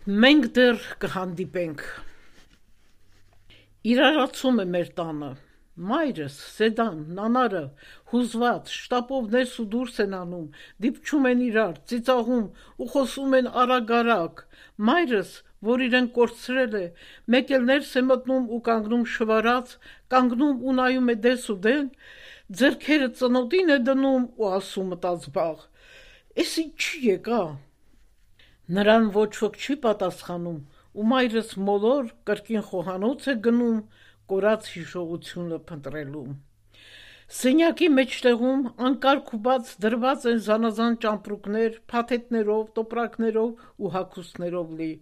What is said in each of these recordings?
Մենք դեռ կհանդիպենք։ Իրարացում է մեր տանը։ Մայրս, Սեդան, նանարը հուզված շտապով ներս ու դուրս են անում, դիպչում են իրար, ծիծաղում ու խոսում են արագ-արագ։ Մայրս, որ իրեն կորցրել է, մեկ էլ ներս է մտնում ու կանգնում շվարած, կանգնում ու նայում է դես ու դեն, ձեռքերը ծնոտին է դնում ու ասում մտածբաղ. «Էս ինչի եկա»։ Նրան ոչ ոք չի պատասխանում, ու մայրս մոլոր կրկին խոհանոց է գնում կորած հիշողությունը փնտրելու։ Սենյակի մեջտեղում անկարգ ու բաց դրված են զանազան ճամպրուկներ, փաթեթներով, տոպրակներով ու հագուստներով լի,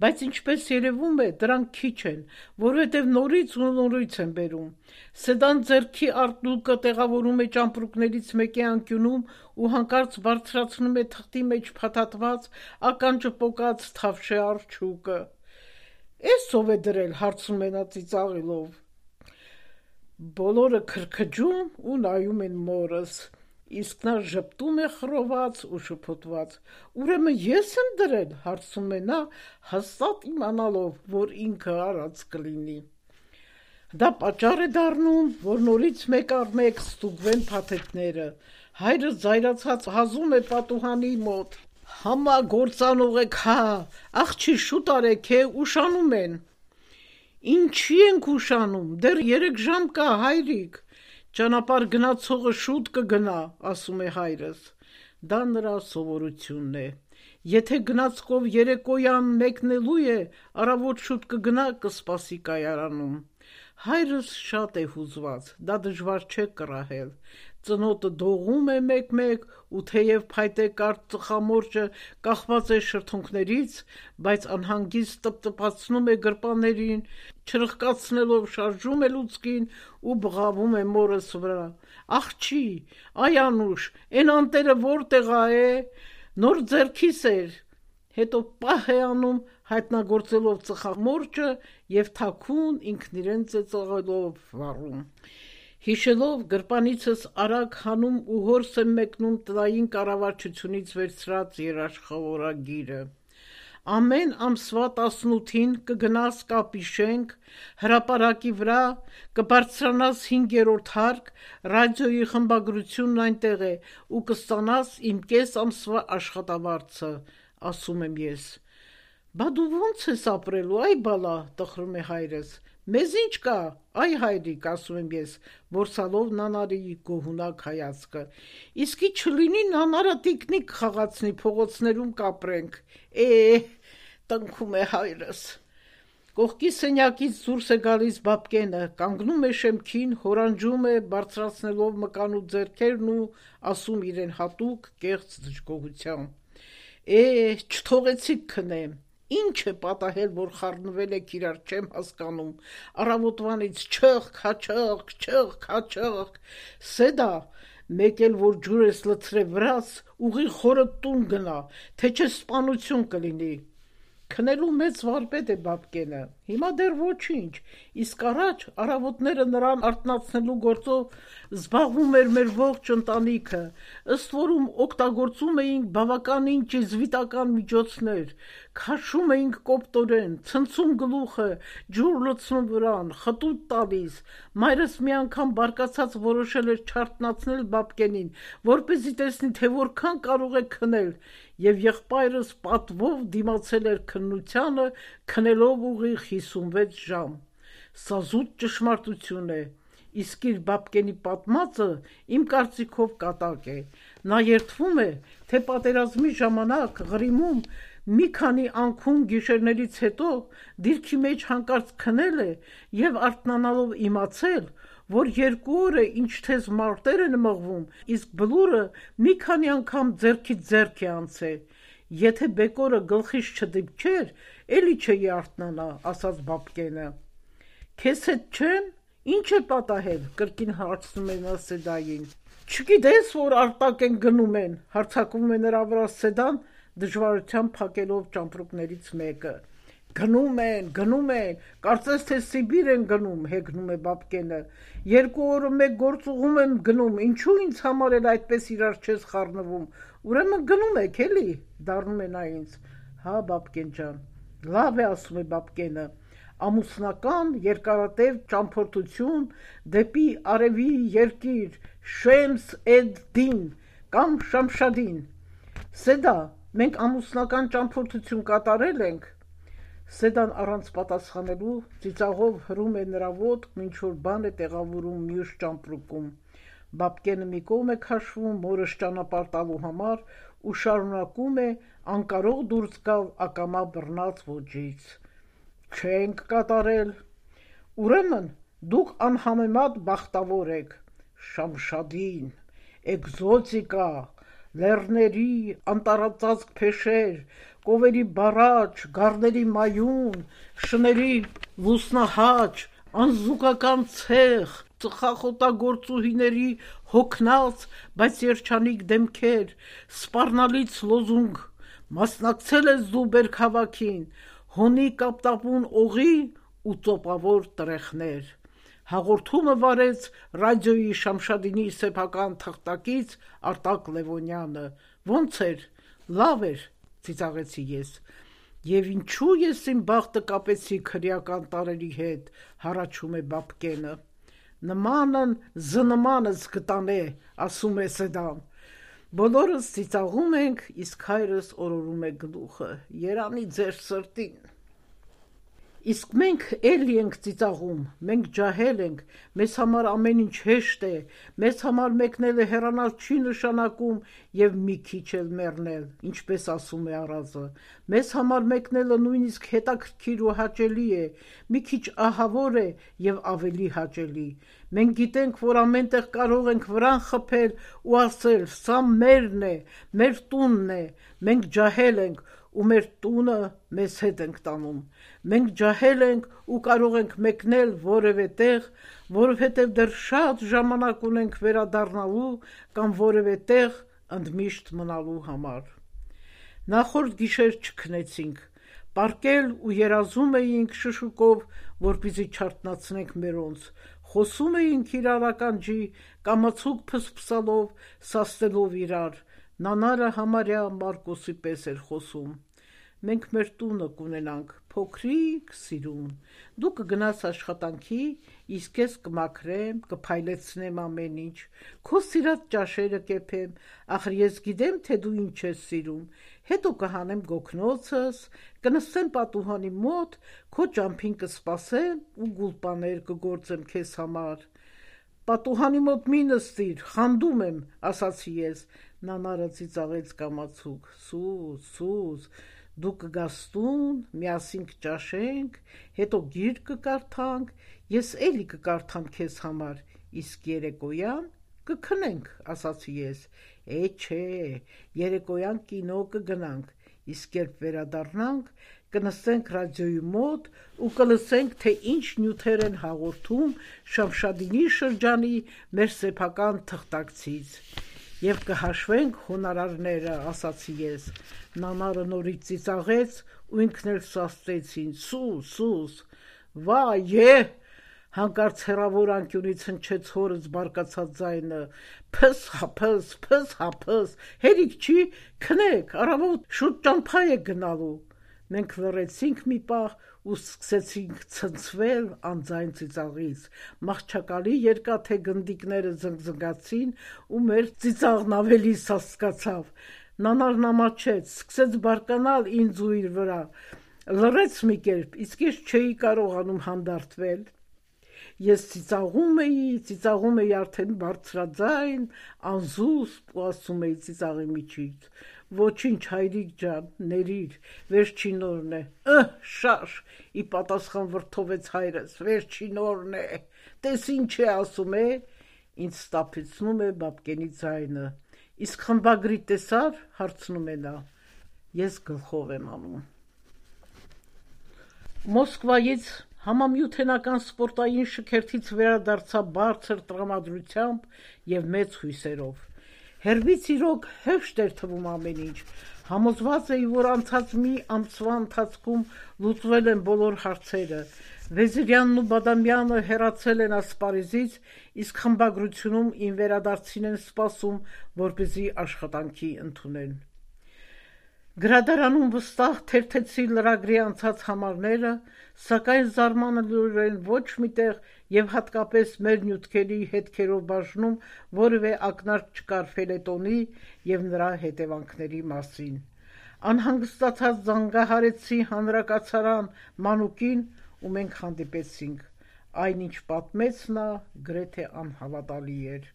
բայց ինչպես երևում է, դրանք քիչ են, որովհետև նորից ու նորից են բերում։ Սեդան ձեռքի արտուկը տեղավորում է ճամպրուկներից մեկի անկյունում ու հանկարծ բարձրացնում է թղթի մեջ փաթաթված, ականջը պոկած թավշե արջուկը։ «Էս ով է դրել»՝ հարցնում է նա ծիծաղելով։ Բոլորը քրքջում ու նայում են մորս, իսկ նա ժպտում է խռոված ու շփոթված։ «Ուրեմն ես եմ դրել»՝ հարցնում է նա, հաստատ իմանալով, որ ինքը արած կլինի։ Դա պատճառ է դառնում, որ նորից մեկ առ մեկ ստուգվեն փաթեթները։ Հայրը զայրացած հազում է պատուհանի մոտ. «Համագործանող եք, հա, աղջի շուտ արեք, ուշանում են»։ «Ինչի ենք ուշանում, դեռ 3 ժամ կա, հայրիկ»։ «Ճանապարհ գնացողը շուտ կգնա», ասում է հայրս։ Դա նրա սովորությունն է։ Եթե գնացքով երեկոյան մեկնելու է, առավոտ շուտ կգնա, կսպասի կայարանում։ Հայրս շատ է հուզված, դա դժվար չէ կռահել։ Ծնոտը դողում է մեկ-մեկ, ու թեև փայտե կարճ ծխամորճը կախված է շրթունքներից, բայց անհանգիստ տպտպացնում է գրպաններին, չրխկացնելով շարժում է լուցկին ու բղավում է մորս վրա. «Աղջի, այ Անուշ, էն անտերը որտեղ է, նոր ձեռքիս էր»։ Հետո պահ է անում, հայտնագործելով ծխամորճը և թաքուն ինքն իրեն ծեծաղելով վառում։ Հիշելով գրպանիցս արագ հանում ու հորս եմ մեկնում տնային կառավարչությունից վերցրած երաշխավորագիրը։ Ամեն ամսվա 18-ին կգնաս կապիշենք, հրապարակի վրա կբարձրանաս 5-րդ հարկ, ռադիոյի խմբագրությունն այնտեղ է ու կստանաս իմ կես ամսվա աշխատավարձը, ասում եմ ես։ Բա դու ո՞նց ես ապրելու, այ բալա, տխրում է հայրս։ Մեզ ինչ կա, այ հայրիկ, ասում եմ ես, որսալով նանարի գոհունակ հայացքը։ Իսկի չլինի նանարը տիկնիկ խաղացնի, փողոցներում կապրենք։ Տնքում է հայրս։ Կողքի սենյակից դուրս է գալիս Բաբկենը, կանգնում է շեմքին, հորանջում է, բարձրացնելով մկան ու ձեռքերն ու ասում իրեն հատուկ կեղծ դժգոհությամբ. չթողեցիք քնեմ։ Ինչ է պատահել, որ խառնվել եք իրար, չեմ հասկանում։ Առավոտվանից չըխկ, հաչըխկ, չըխկ, հաչըխկ։ Սեդա, մեկ էլ որ ջուր ես լցրել վրաս, ուղիղ խորդ տուն գնա, թե չէ սպանություն կլինի։ Քնելու մեծ վարպետ է Բաբկենը, հիմա դեռ ոչինչ, իսկ առաջ առավոտները նրան արթնացնելու գործով զբաղվում էր մեր ողջ ընտանիքը, ըստ որում օգտագործում էինք բավականին ճիզվիտական միջոցներ, քաշում էինք կոպտորեն, ցնցում գլուխը, ջուր լցնում վրան, խտուտ տալիս։ Մայրս մի անգամ բարկացած որոշել էր չարթնացնել Բաբկենին, որպեսզի տեսնի, թե որքան կարող է քնել, և եղբայրս պատվով դիմացել էր քննությանը, քնելով ուղիղ 56 ժամ։ Սա զուտ ճշմարտություն է, իսկ իր Բաբկենի պատմածը իմ կարծիքով կատակ է։ Նա երդվում է, թե պատերազմի ժամանակ Ղրիմում մի քանի անքուն գիշերներից հետո դիրքի մեջ հանկարծ քնել է և արթնանալով իմացել, որ 2 օր է ինչ թեզ մարտեր են մղվում, իսկ բլուրը մի քանի անգամ ձեռքից ձեռք է անցել։ Եթե բեկորը գլխիս չդիպչեր, էլի չէի արթնանա, ասաց Բաբկենը։ Քեզ հետ չեմ, ինչ է պատահել, կրկին հարցնում է նա Սեդային։ Չգիտես, որ արտակ են գնում են, հարձակվում է նրա վրա Սեդան, դժվարությամբ փակելով ճամպրուկներից մեկը։ Գնում են, կարծես թե Սիբիր են գնում, հեգնում է Բաբկենը։ 2 օրը մեկ գործուղում եմ գնում, ինչու ինձ համար էլ այդպես իրար չես խառնվում, ուրեմն գնում եք էլի, դառնում է նա ինձ։ Հա, Բաբկեն ջան, Լավ է, ասում է Բաբկենը, ամուսնական երկարատև ճամփորդություն դեպի արևի երկիր Շեմս էդ-Դին կամ Շամշադին։ Սեդա, մենք ամուսնական ճամփորդություն կատարել ենք։ Սեդան առանց պատասխանելու ծիծաղով հրում է նրա ոտք, ինչ որ բան է տեղավորում մյուս ճամպրուկում։ Բաբկենը մի կողմ է քաշվում մորս ճանապարհ տալու համար ու շարունակում է անկարող դուրս գալ ակամա բռնած ոճից։ Չենք կատարել։ Ուրեմն դուք անհամեմատ բախտավոր եք։ Շամշադին, էկզոտիկա, լեռների անտառածածկ փեշեր, կովերի բառաչ, գառների մայուն, շների լուսնահաճ, անզուգական ցեղ, ծխախոտագործուհիների հոգնած, բայց երջանիկ դեմքեր, սպառնալից լոզունգ, մասնակցել ես դու բերքահավաքին, հոնի կապտապուն օղի ու ծոպավոր տրեխներ։ Հաղորդումը վարեց ռադիոյի Շամշադինի սեփական թղթակից Արտակ Լևոնյանը։ Ոնց էր, լավ էր, ծիծաղեցի ես։ Եվ ինչու ես իմ բախտը կապեցի քրեական տարերի հետ, հառաչում է Բաբկենը։ Նմանն զնմանս գտանե, ասում է Սեդան։ Բոլորս ծիծաղում ենք, իսկ հայրս օրորում է գլուխը։ Երանի ձեր սրտին։ Իսկ մենք էլի ենք ծիծաղում, մենք ջահել ենք, մեզ համար ամեն ինչ հեշտ է, մեզ համար մեկնելը հեռանալ չի նշանակում և մի քիչ էլ մեռնել, ինչպես ասում է Արազը, մեզ համար մեկնելը նույնիսկ հետաքրքիր ու հաճելի է, մի քիչ ահավոր է և ավելի հաճելի, մենք գիտենք, որ ամենտեղ կարող ենք վրան խփել ու ասել, սա մերն է, մեր տունն է, մենք ջահել ենք ու մեր տունը մեզ հետ ենք տանում, մենք ջահել ենք ու կարող ենք մեկնել որևէ տեղ, որովհետև դեռ շատ ժամանակ ունենք վերադառնալու կամ որևէ տեղ ընդմիշտ մնալու համար։ Նախորդ գիշեր չքնեցինք, պառկել ու երազում էինք շշուկով, որպեսզի չարթնացնենք մերոնց, խոսում էինք իրար ականջի, կամացուկ փսփսալով, սաստելով իրար, Նանարը համարյա Մարկոսի պես էր խոսում։ Մենք մեր տունը կունենանք, փոքրիկ սիրուն, դու կգնաս աշխատանքի, իսկ ես կմաքրեմ, կփայլեցնեմ ամեն ինչ, քո սիրած ճաշերը կեփեմ, ախր ես գիտեմ, թե դու ինչ ես սիրում, հետո կհանեմ գոգնոցս, կնստեմ պատուհանի մոտ, քո ճամփին կսպասեմ ու գուլպաներ կգործեմ քեզ համար։ Պատուհանի մոտ մի նստիր, խանդում եմ, ասացի ես, Նանարը ծիծաղեց կամացուկ, սուս, դու կգաս տուն, միասին կճաշենք, հետո գիրք կկարդանք, ես էլի կկարդամ քեզ համար, իսկ երեկոյան կքնենք, ասացի ես, չէ, երեկոյան կինո կգնանք, իսկ երբ վերադառնանք, կնստենք ռադիոյի մոտ ու կլսենք, թե ինչ նյութեր են հաղորդում Շամշադինի շրջանի մեր սեփական թղթակցից։ Եվ կհաշվենք հոնորարները, ասացի ես, Նանարը նորից ծիծաղեց ու ինքն էլ սաստեցին, սուս, վայ, հանկարծ հեռավոր անկյունից հնչեց հորս բարկացած ձայնը, փս, հերիք չի, քնեք, առավոտ շուտ ճամփա եք գնալու։ Մենք լռեցինք մի պահ ու սկսեցինք ցնցվել անձայն ծիծաղից, մահճակալի երկաթե գնդիկները զնգզնգացին ու մեր ծիծաղն ավելի սաստկացավ, Նանարն ամաչեց, սկսեց բարկանալ ինձ ու իր վրա, լռեց մի կերպ, իսկ ես չէի կարողանում հանդարտվել, ես ծիծաղում էի արդեն բարձրաձայն, անզուսպ ու ասում էի ծիծաղի միջից, ոչինչ հայրիկ ջան, ներիր, վերջին օրն է, շաշ, ի պատասխան վրդովեց հայրս, վերջին օրն է, տես ինչ է ասում է, ինձ ստապեցնում է Բաբկենի ձայնը, իսկ խմբագրի տեսար, հարցնում է նա, ես գլխով եմ անում։ Մոսկվայից համամիութենական սպորտային շքերթից վերադարձա բարձր տրամադրությամբ և մեծ հույսերով։ Հեռվից իրոք հեշտ էր թվում ամեն ինչ, համոզված էի, որ անցած մի ամսվա ընթացքում լուծվել են բոլոր հարցերը, Վեզիրյանն ու Բադամյանը հեռացել են ասպարեզից, իսկ խմբագրությունում իմ վերադարձին են սպասում, որպեսզի աշխատանքի ընդունեն։ Գրադարանում վստահ թերթեցի լրագրի անցած համարները, սակայն զարմանալիորեն ոչ միտեղ եւ հատկապես մեր նյութերի հետքերով բաժնում որևէ ակնարկ չկար ֆելետոնի եւ նրա հետևանքների մասին։ Անհանգստացած զանգահարեցի հանրակացարան Մանուկին ու մենք հանդիպեցինք։ Այնինչ պատմեց նա գրեթե անհավատալի էր։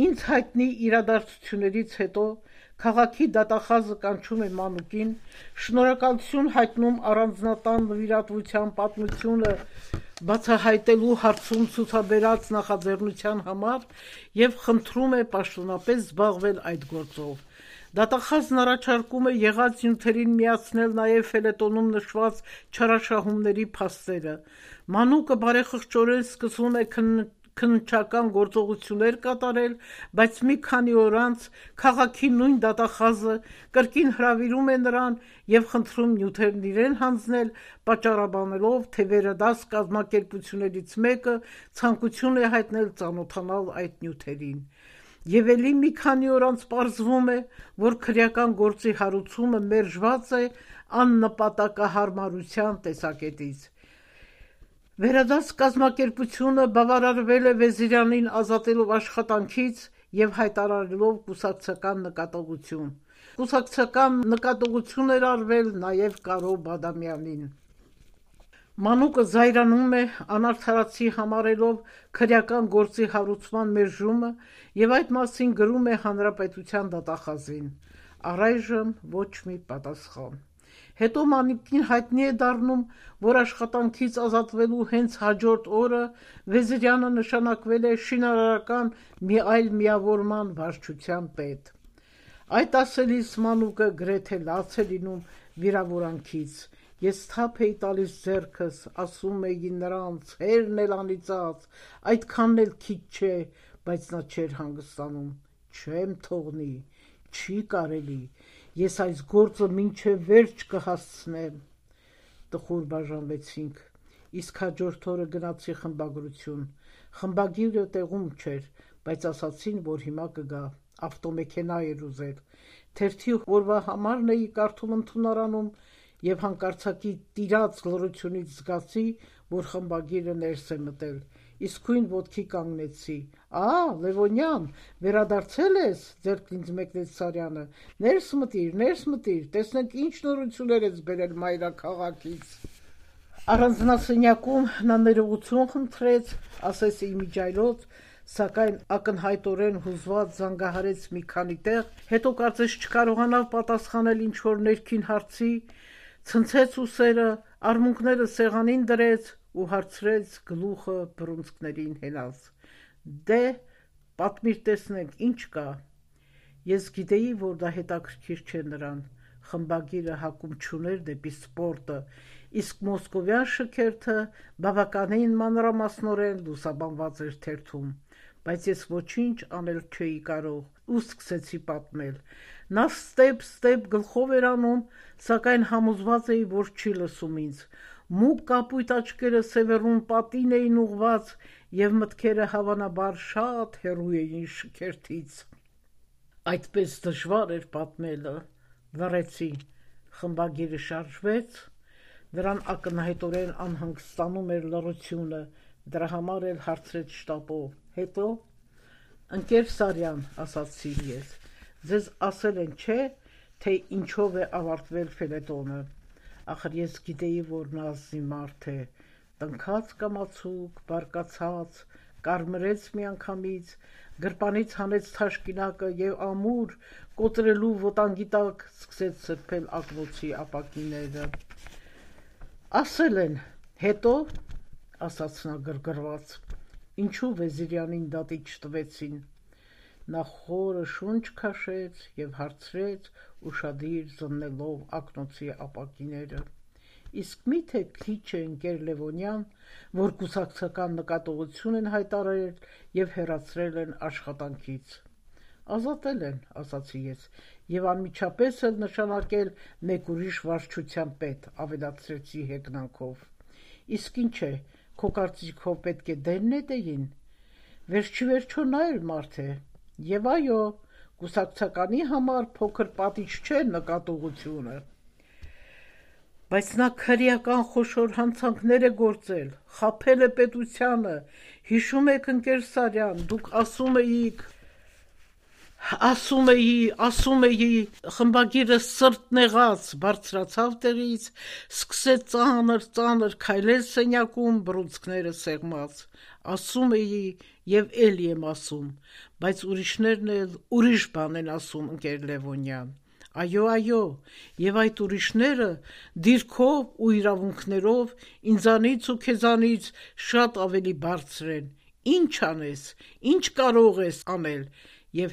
Ինձ հայտնի իրադարձություններից հետո քաղաքի դատախազը կանչում է Մանուկին, շնորհակալություն հայտնում առանձնատան նվիրատվության պատմությունը բացահայտելու հարցում ցուցաբերած նախաձեռնության համար եւ խնդրում է պաշտոնապես զբաղվել այդ գործով։ Դատախազն առաջարկում է եղած նյութերին միացնել նաև ֆելետոնում նշված չարաշահումների փաստերը։ Մանուկը բարեխղճորեն սկսում է քննչական գործողություններ կատարել, բայց մի քանի օր անց քաղաքի նույն դատախազը կրկին հրավիրում է նրան եւ խնդրում նյութերն իրեն հանձնել, պատճառաբանելով, թե վերադաս կազմակերպություններից մեկը ցանկություն է հայտնել ծանոթանալ այդ նյութերին։ Եվ ելի մի քանի օր անց պարզվում է, որ քրեական գործի հարուցումը մերժված է աննպատակահարմարության տեսակետից։ Վերադաս կազմակերպությունը բավարարվել է Վեզիրյանին ազատելով աշխատանքից եւ հայտարարելով կուսակցական նկատողություն։ Կուսակցական նկատողություն էր արվել նաեւ Կարո Բադամյանին։ Մանուկը զայրանում է, անարդարացի համարելով քրեական գործի հարուցման մերժումը եւ այդ մասին գրում է Հանրապետության դատախազին։ Առայժմ ոչ մի պատասխան։ Հետո Մանուկին հայտնի է դառնում, որ աշխատանքից ազատվելու հենց հաջորդ օրը Վեզիրյանը նշանակվել է շինարարական մի այլ միավորման վարչության պետ։ Այդ ասելիս Մանուկը գրեթե լաց է լինում վիրավորանքից։ Ես թափ էի տալիս ձեռքս, ասում էի նրանց, հերն էլ անիծած, այդքանն էլ քիչ չէ, բայց նա չէր հանգստանում։ Չեմ թողնի, չի կարելի, ես այս գործը մինչև վերջ կհասցնեմ։ Տխուր բաժանվեցինք, իսկ հաջորդ օրը գնացի խմբագրություն։ Խմբագիրը տեղում չէր, բայց ասացին, որ հիմա կգա, ավտոմեքենա էր ուզել։ Թերթի օրվա համարն էի կարդում ընդունարանում եւ հանկարծակի տիրած լռությունից զգացի, որ խմբագիրը ներս է մտել։ Իսկույն ոտքի կանգնեցի։ Լևոնյան, վերադարձել ես, ձեռքն ինձ մեկնեց Սարյանը։ Ներս մտիր, տեսնենք ինչ նորություններ ես բերել մայրաքաղաքից։ Առանձնասենյակում նա ներողություն խնդրեց, ասես իմիջայլոց, սակայն ակնհայտորեն հուզված զանգահարեց մի քանի տեղ, հետո կարծես չկարողանավ պատասխանել ինչ-որ ներքին հարցի, ցնցեց ուսերը, արմունկները սեղանին դրեց ու հարցրեց գլուխը բռունցքներին հենած. Դե, պատմիր տեսնենք, ինչ կա։ Ես գիտեի, որ դա հետաքրքիր չէ նրան, խմբագիրը հակում չուներ դեպի սպորտը, իսկ մոսկովյան շքերթը բավականին մանրամասնորեն լուսաբանված էր թերթում, բայց ես ոչինչ անել չէի կարող ու սկսեցի պատմել։ Նա ստեպ գլխով էր անում, սակայն համոզված էի, որ չի լսում ինձ։ Մուգ կապույտ աչքերը սևեռուն պատին էին ուղված եւ մտքերը հավանաբար շատ հեռու էին շքերթից։ Այդպես դժվար էր պատմելը։ Լռեցի, խմբագիրը շարժվեց, նրան ակնհայտորեն անհանգստանում էր լռությունը, դրա համար էլ հարցրեց շտապով. Հետո ընկեր Սարյան, ասացի ես, ձեզ ասել են, չէ, թե ինչով է ավարտվել ֆելետոնը։ Ախր ես գիտեի, որ նա ազնի մարդ է, տնքաց կամացուկ, բարկացած, կարմրեց միանգամից, գրպանից հանեց թաշկինակը եւ ամուր կոտրելու վտանգի տակ սկսեց սրբել ակնոցի ապակիները։ Ասել են, հետո, ասաց նա գրգռված, ինչու Վեզիրյանին դատի չտվեցին։ Նա խորը շունչ քաշեց եւ հարցրեց, ուշադիր զննելով ակնոցի ապակիները. Իսկ միթե քիչ է ընկեր Լևոնյան, որ կուսակցական նկատողություն են հայտարարել եւ հեռացրել են աշխատանքից։ Ազատել են, ասացի ես, եւ անմիջապես էլ նշանակել մեկ ուրիշ վարչության պետ, ավելացրեցի հեգնանքով։ Իսկ ինչ է, քո կարծիքով պետք է դեն նետեին։ Վերջիվերջո նա էլ մարդ է։ Եվ այո, Կուսակցականի համար փոքր պատիչ չէ նկատողությունը։ Բայց նա քրեական խոշոր հանցանքներ է գործել, խաբել է պետությանը, հիշում եք ընկեր Սարյան, դուք ասում էի, խմբագիրը սրտ նեղած, բարձրացավ տեղից, սկսեց ծանր քայլել սենյակում, բռունցքները սեղմած, ասում էի և էլի եմ ասում, բայց ուրիշներն էլ ուրիշ բան են ասում, ընկեր Լևոնյան, այո, և այդ ուրիշները դիրքով ու իրավունքներով ինձանից ու քեզանից շատ ավելի բարձր են, ինչ անես, ինչ կարող ես անել, և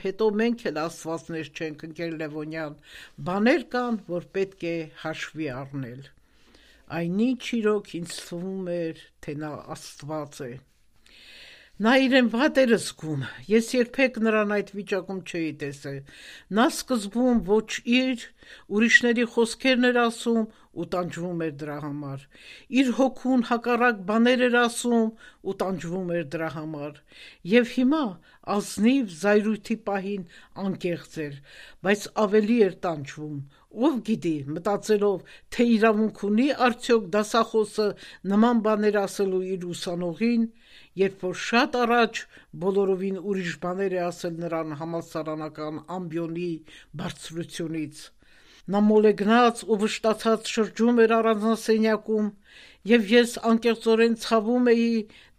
հետո մենք էլ աստվածներ չենք, ընկեր Լևոնյան, բաներ կան, որ պետք է հաշվի առնել։ Այն ինչ իրոք ինձ թվում էր, թե նա աստված է։ Նա իրեն վատ էր զգում, ես երբեք նրան այդ վիճակում չէի տեսել, նա սկզբում ոչ իր, ուրիշների խոսքերն էր ասում ու տանջվում էր դրա համար, իր հոգուն հակառակ բաներ էր ասում ու տանջվում էր դրա համար, և հիմա ազնիվ զայրույթի պահին անկեղծ էր, բայց ավելի էր տանջվում, ով գիտի, մտածելով, թե իրավունք ունի արդյոք դասախոսը նման բաներ ասելու իր ուսանողին, երբ որ շատ առաջ բոլորովին ուրիշ բաներ է ասել նրան համալսարանական ամբիոնի բարձրությունից։ Նա մոլեգնած ու վշտացած շրջում էր առանձնասենյակում, և ես անկեղծորեն ցավում էի,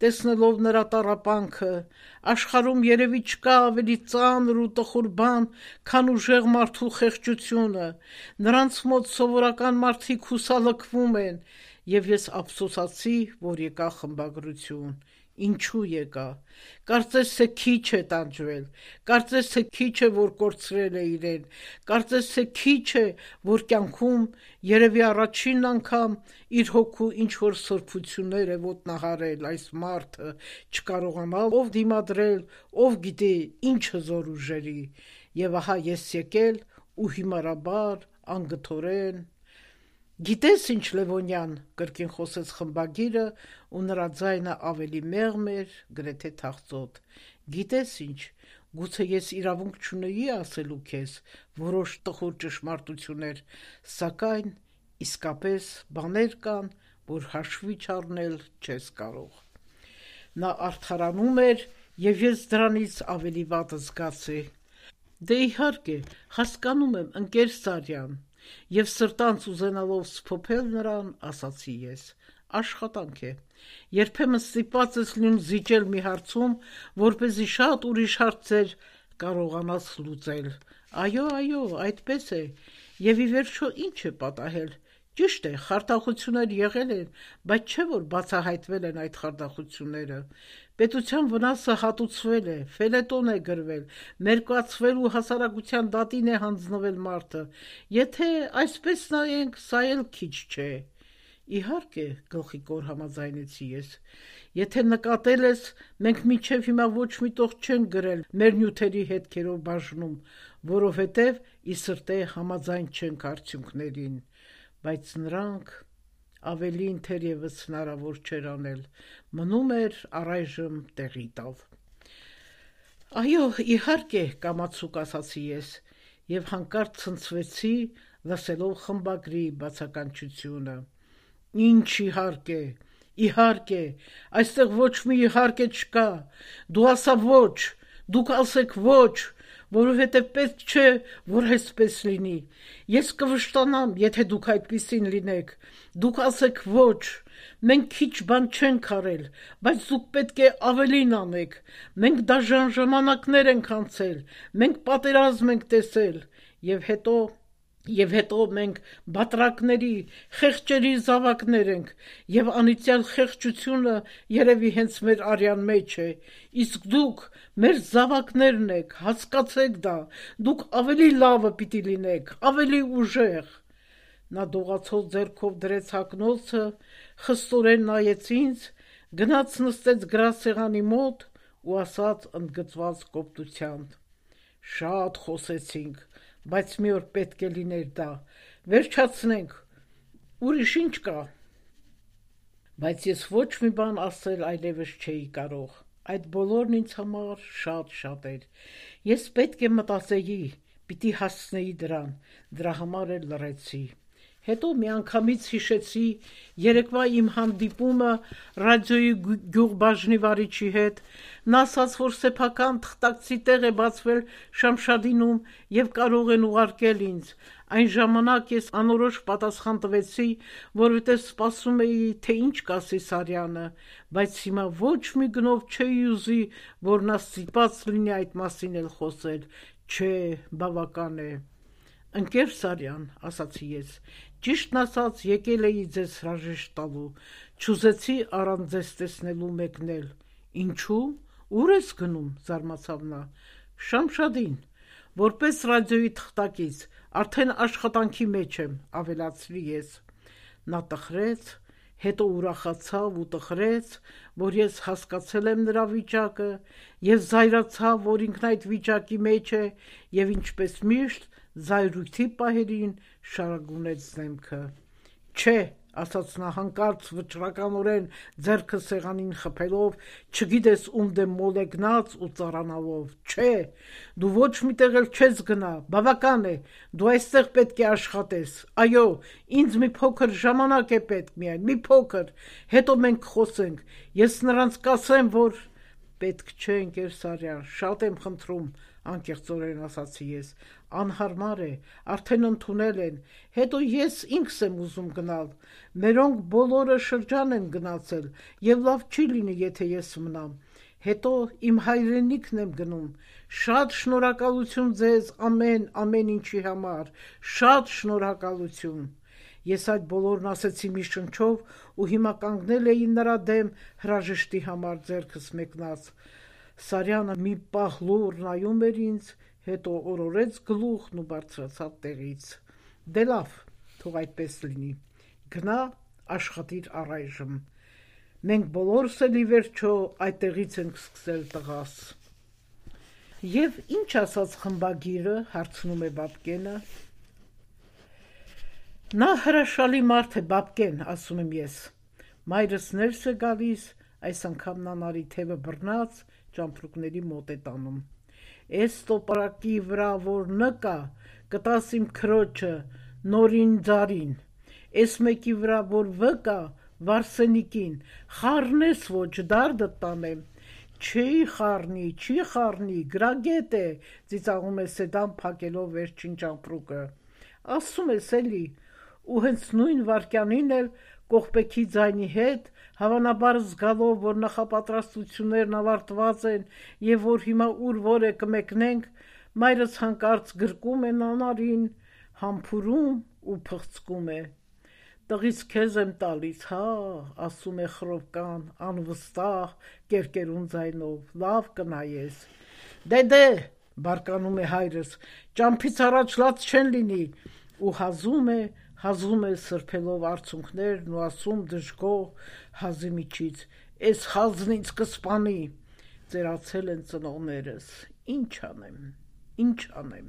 տեսնելով նրա տառապանքը, աշխարհում երևի չկա ավելի ծանր ու տխուր բան, քան ուժեղ մարդու խեղճությունը, նրանց մոտ սովորական մարդիկ հուսալքվում են, և ես ափսոսացի, որ եկա խմբագրություն, ինչու եկա, կարծես թե քիչ է տանջվել, կարծես թե քիչ է, որ կորցրել է իրեն, կարծես թե քիչ է, որ կյանքում երևի առաջին անգամ իր հոգու ինչ-որ սրբություններ է ոտնահարել այս մարդը, չկարողանալ դիմադրել, ով գիտի ինչ հզոր ուժերի, և ահա ես եկել ու հիմարաբար, անգթորեն… Գիտես ինչ Լևոնյան, կրկին խոսեց խմբագիրը ու նրա ձայնը ավելի մեղմ էր, գրեթե թախծոտ, գիտես ինչ, գուցե ես իրավունք չունեի ասելու քեզ որոշ տխուր ճշմարտություններ, սակայն իսկապես բաներ կան, որ հաշվի չառնել չես կարող։ Նա արդարանում էր, և ես դրանից ավելի վատը զգացի։ Դե իհարկե, հասկանում եմ, ընկեր Սարյան, և սրտանց ուզենալով սփոփել նրան, ասացի ես, աշխատանք է, երբեմն ստիպված ես լինում զիջել մի հարցում, որպեսզի շատ ուրիշ հարցեր կարողանաս լուծել, այո, այդպես է, և ի վերջո ինչ է պատահել, ճիշտ է, խարդախություններ եղել են, բայց չէ որ բացահայտվել են այդ խարդախությունները, պետության վնասը հատուցվել է, ֆելետոն է գրվել, մերկացվել ու հասարակության դատին է հանձնվել մարդը, եթե այսպես նայենք, սա էլ քիչ չէ։ Իհարկե, գլխիկոր համաձայնեցի ես, եթե նկատել ես, մենք մինչև հիմա ոչ մի տող չենք գրել մեր նյութերի հետքերով բաժնում, որովհետև ի սրտե համաձայն չենք արդյունքներին, բայց նրանք… ավելին թերևս հնարավոր չէր անել, մնում էր առայժմ տեղի տալ։ Այո, իհարկե, կամացուկ ասացի ես, և հանկարծ ցնցվեցի, լսելով խմբագրի բացականչությունը։ Ինչ իհարկե, այստեղ ոչ մի իհարկե չկա, դու ասա ոչ, դուք ասեք ոչ, որովհետև պետք չէ, որ այսպես լինի, ես կվշտանամ, եթե դուք այդպիսին լինեք, դուք ասեք ոչ, մենք քիչ բան չենք արել, բայց դուք պետք է ավելին անեք, մենք դաժան ժամանակներ ենք անցել, մենք պատերազմ ենք տեսել, և հետո մենք բատրակների, խեղճերի զավակներ ենք, և անիծյալ խեղճությունը երևի հենց մեր արյան մեջ է, իսկ դուք մեր զավակներն եք, հասկացեք դա, դուք ավելի լավը պիտի լինեք, ավելի ուժեղ։ Նա դողացող ձեռքով դրեց հագնոցը, խստորեն նայեց ինձ, գնաց նստեց գրասեղանի մոտ ու ասաց ընդգծված կոպտությամբ. Շատ խոսեցինք, բայց մի օր պետք է լիներ դա, վերջացնենք, ուրիշ ինչ կա։ Բայց ես ոչ մի բան ասել այլևս չէի կարող, Այդ բոլորն ինձ համար շատ էր։ Ես պետք է մտածեի, պիտի հասցնեի դրան, դրա համար էլ լռեցի։ Հետո միանգամից հիշեցի երեկվա իմ հանդիպումը ռադիոյի գյուղբաժնի վարիչի հետ։ Նա ասաց, որ սեփական թղթակցի տեղ է բացվել Շամշադինում եւ կարող են ուղարկել ինձ։ Այն ժամանակ ես անորոշ պատասխան տվեցի, որովհետև սպասում էի, թե ինչ կասի Սարյանը, բայց հիմա ոչ մի գնով չէի ուզի, որ նա ստիպված լինի այդ մասին էլ խոսել։ Չէ, բավական է։ Ընկեր Սարյան, ասացի ես, ճիշտն ասած եկել էի ձեզ հրաժեշտ տալու, չուզեցի առանց ձեզ տեսնելու մեկնել։ Ինչու՞, ուր ես գնում, զարմացավ նա։ Շամշադին, որպես ռադիոյի թղթակից, արդեն աշխատանքի մեջ եմ, ավելացրի ես։ Նա տխրեց, հետո ուրախացավ ու տխրեց, որ ես հասկացել եմ նրա վիճակը, եւ զայրացավ, որ ինքն այդ վիճակի մեջ է, եւ ինչպես միշտ զայրույթի պահերին շարագունեց դեմքը։ Չէ, ասաց նա հանկարծ վճռականորեն ձեռքը սեղանին խփելով, չգիտես ում դեմ մոլեգնած ու ծառանալով։ Չէ, դու ոչ միտեղ էլ չես գնա, բավական է, դու այստեղ պետք է աշխատես։ Այո, ինձ մի փոքր ժամանակ է պետք միայն, մի փոքր, հետո մենք խոսենք։ Ես նրանց կասեմ, որ պետք չէ, ընկեր Սարյան, շատ եմ խնդրում, անկեղծորեն ասացի ես, անհարմար է, արդեն ընդունել են, հետո ես ինքս եմ ուզում գնալ, մերոնք բոլորը շրջան են գնացել, եւ լավ չի լինի, եթե ես մնամ, հետո իմ հայրենիքն եմ գնում, շատ շնորհակալություն ձեզ ամեն ինչի համար, շատ շնորհակալություն։ Ես այդ բոլորն ասեցի մի շնչով ու հիմա կանգնել էի նրա դեմ հրաժեշտի համար ձեռքս մեկնած։ Սարյանը մի պահ լուռ նայում էր ինձ, հետո օրորեց գլուխն ու բարձրացավ տեղից։ Դե լավ, թող այդպես լինի։ Գնա, աշխատիր առայժմ։ Մենք բոլորս էլ ի վերջո այդտեղից ենք սկսել տղաս։ Եվ ինչ ասաց խմբագիրը, հարցնում է Բաբկենը։ Նա հրաշալի մարդ է, Բաբկեն, ասում եմ ես։ Մայրս ներս է գալիս, այս անգամ նա նարի թևը բռնած ճամպրուկների մոտ է տանում։ Էս տոպարակի վրա որ նկա, կտաս իմ քրոջը, նորին ձարին, էս մեկի վրա որ վկա, Վարսենիկին, խառնես ոչ, դարդը տանեմ։ Չի խառնի, գրագետ է, ծիծաղում է Սեդան փակելով վերջին ճամպրուկը։ Ասում ես էլի, ու հենց նույն վարկյանին էլ կողպեքի ձայնի հետ, հավանաբար զգալով, որ նախապատրաստություններն ավարտված են եւ որ հիմա ուր որ է կմեկնենք, մայրս հանկարծ գրկում է նանարին, համբուրում ու փղծկում է։ Տղից քեզ եմ տալիս, հա, ասում է խռովկան, անվստահ, կերկերուն ձայնով, լավ կնայես։ Դե, բարկանում է հայրս, ճամփից առաջ լաց չեն լինի, ու հազում է սրբելով արցունքներն ու ասում դժգոհ հազի միջից, էս խազն ինձ կսպանի, ծերացել են ծնողներս, ինչ անեմ։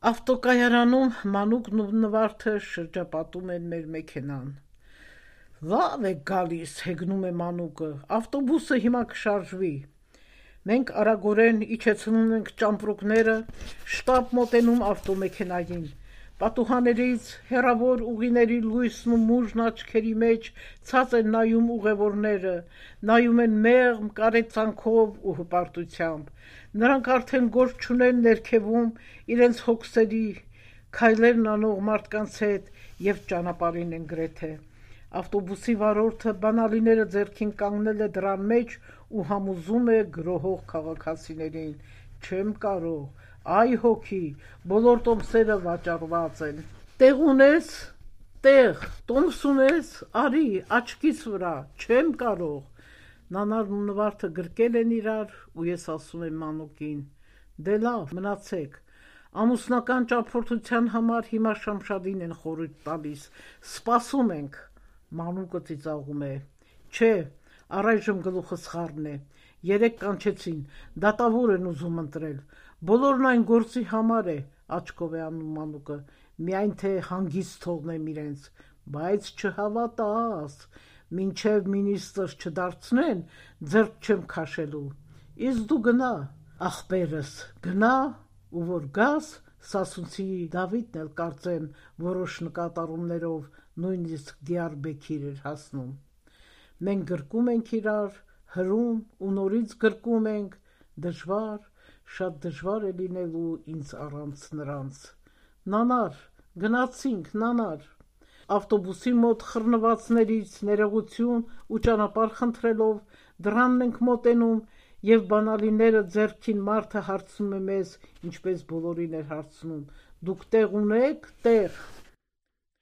Ավտոկայարանում Մանուկն ու Նվարդը շրջապատում են մեր մեքենան։ Լավ է գալիս, հեգնում է Մանուկը, ավտոբուսը հիմա կշարժվի։ Մենք արագորեն իջեցնում ենք ճամպրուկները, շտապ մոտենում ավտոմեքենային։ Պատուհաններից հեռավոր ուղիների լույսն ու մուժն աչքերի մեջ ցած են նայում ուղևորները, նայում են մեղմ կարեկցանքով ու հպարտությամբ։ Նրանք արդեն գործ չունեն ներքևում իրենց հոգսերի, քայլերն անող մարդկանց հետ եւ ճանապարհին են գրեթե։ Ավտոբուսի վարորդը բանալիները ձեռքին կանգնել է դրան մեջ ու համոզում է գրոհող քաղաքացիներին. չեմ կարող, այ հոգի, բոլոր տոմսերը վաճառված են։ Տեղ ունես, տոմս ունես, արի, աչքիս վրա, չեմ կարող։ Նանարն ու Նվարդը գրկել են իրար ու ես ասում եմ Մանուկին. դե լավ, մնացեք։ Ամուսնական ճամփորդության համար հիմա Շամշադին են խորհուրդ տալիս, սպասում ենք։ Մանուկը ծիծաղում է. չէ, առայժմ գլուխս խառն է, երեկ կանչեցին, դատավոր են ուզում ընտրել, բոլորն այն գործի համար է, աչքով է անում Մանուկը, միայն թե հանգիստ թողնեմ իրենց, բայց չհավատաս, մինչև մինիստրս չդարձնեն, ձեռք չեմ քաշելու, իսկ դու գնա, ախպերս, գնա, ու որ գաս, Սասունցի Դավիթն էլ կարծեմ որոշ նկատառումներով նույնիսկ Դիարբեքիր էր հասնում։ Մենք գրկում ենք իրար, հրում ու նորից գրկում ենք, դժվար, շատ դժվար է լինելու ինձ առանց նրանց։ Նանար, գնացինք, նանար։ Ավտոբուսի մոտ խռնվածներից ներողություն ու ճանապարհ խնդրելով դրանն ենք մոտենում եւ բանալիները ձեռքին մարդը հարցնում է մեզ, ինչպես բոլորին էր հարցնում. դուք տեղ ունեք, տեղ։